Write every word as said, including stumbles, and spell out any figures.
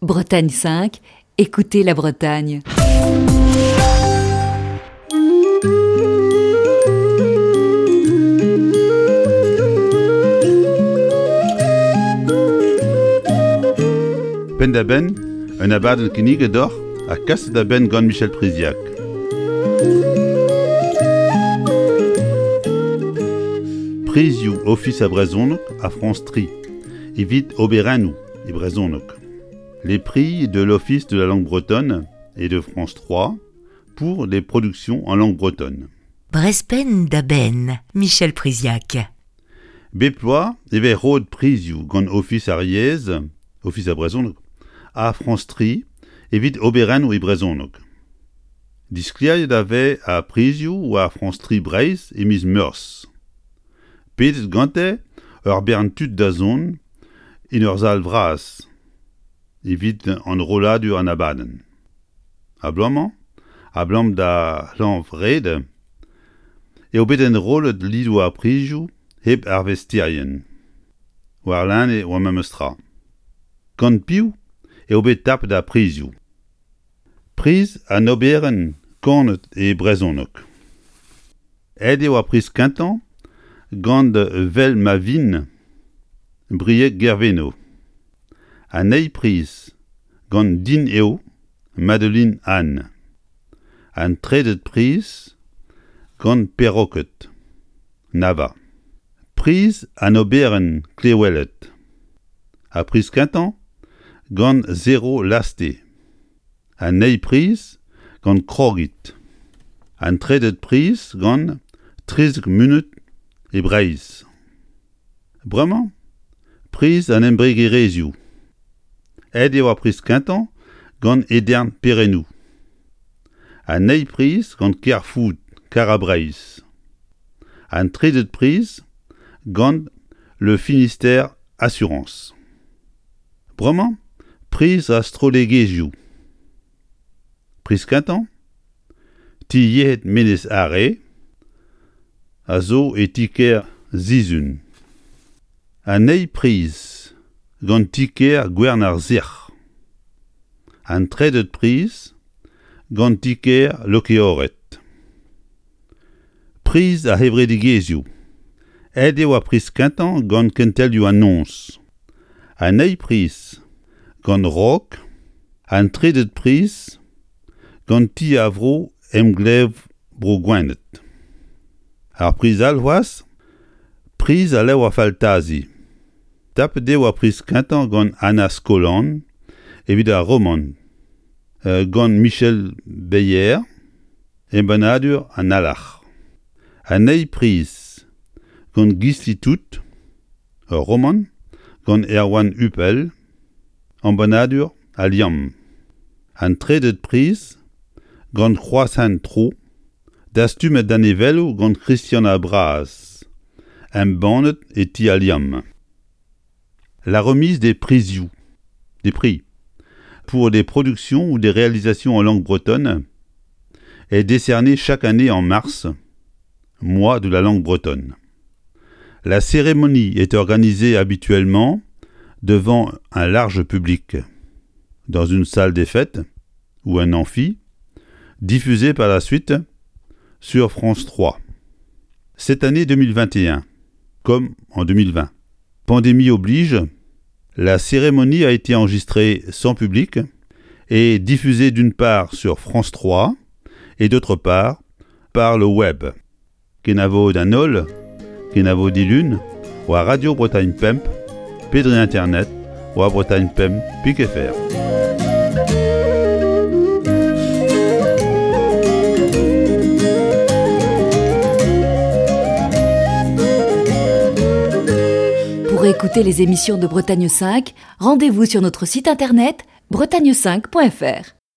Bretagne cinq, écoutez la Bretagne. Penn-da-benn, un abadenn kinniget deoc'h ha kaset da benn gant Michel Priziac. Prizioù Ofis ar Brezhoneg ha Frañs tri, evit oberennoù e brezhoneg. Les prix de l'Office de la langue bretonne et de France trois pour des productions en langue bretonne. Brezh Penn-da-Benn, Michel Priziac. Bep bloaz e vez roet prizioù gant Ofis ar yezh, Ofis ar Brezhoneg, ha Frañs tri evit oberennoù e brezhoneg. Disklêriet a vez ar prizioù war France tri Breizh e miz Meurzh. Pedet gante ur bern tud da zont en ur sal vras evit enrolladur an abadenn. A-bloaz-mañ, abalamour da c'hlañv-red, eo bet enrollet lidoù ar prizioù hep arvesterien. Warlene oa memes tra. Gant piv eo bet tapet ar prizioù. Priz an oberenn kanet e brezhoneg. Aet eo ar priz kentañ gant Vel ma vin Brieg Guerveno. An eil priz gant Din eo Madeline Anne. An trede priz gant Perroket Nava. Priz an oberenn klewelet. Ar priz kentañ gant Zéro Lasté. An eil priz gant Krogit. An trede priz gant trizek munut e Breizh. Bremañ, priz an embregerezhioù. Aet eo ar priz kentañ gant Edern Perennoù. An eil priz gant Kerfood Kara-Breizh. An trede priz gant Le Finistère Assurance. Bremañ, priz ar strollegezhioù. Priz kentañ, ti yec'hed Menez Are a zo e ti-kêr Sizun. An eil priz gant ti-kêr Gwern ar Sec'h. An trede priz gant ti-kêr Lokeored. Priz ar c'hevredigezhioù. Aet eo ar priz kentañ gant kentelioù an noz. An eil priz gant Raok. An trede priz gant ti ar vro Emglev Bro Gwened. Ar priz all c'hoazh, priz al levr faltazi. Tapet eo ar priz kentañ gant Anna Skolan evit ar romant, euh, gant Michel Beyer, embannadur an Alarc'h. An eil priz gant Gisli Tout, ur romant gant Erwan Hupel, embannadur Al Liamm. An trede priz gant Kroashent Tro, dastumet danevelloù gant Christian ar Braz, embannet e ti Al Liamm. La remise des prizioù, des prix, pour des productions ou des réalisations en langue bretonne est décernée chaque année en mars, mois de la langue bretonne. La cérémonie est organisée habituellement devant un large public, dans une salle des fêtes ou un amphi, diffusée par la suite sur France trois. Cette année deux mille vingt et un, comme en deux mille vingt, pandémie oblige, la cérémonie a été enregistrée sans public et diffusée d'une part sur France trois et d'autre part par le web. Kenavo d'an holl, kenavo dilun, war Radio Bretagne Pemp, pe dre Internet, war Bretagne Pemp pik F R. Pour écouter les émissions de Bretagne cinq, rendez-vous sur notre site internet bretagne cinq point F R.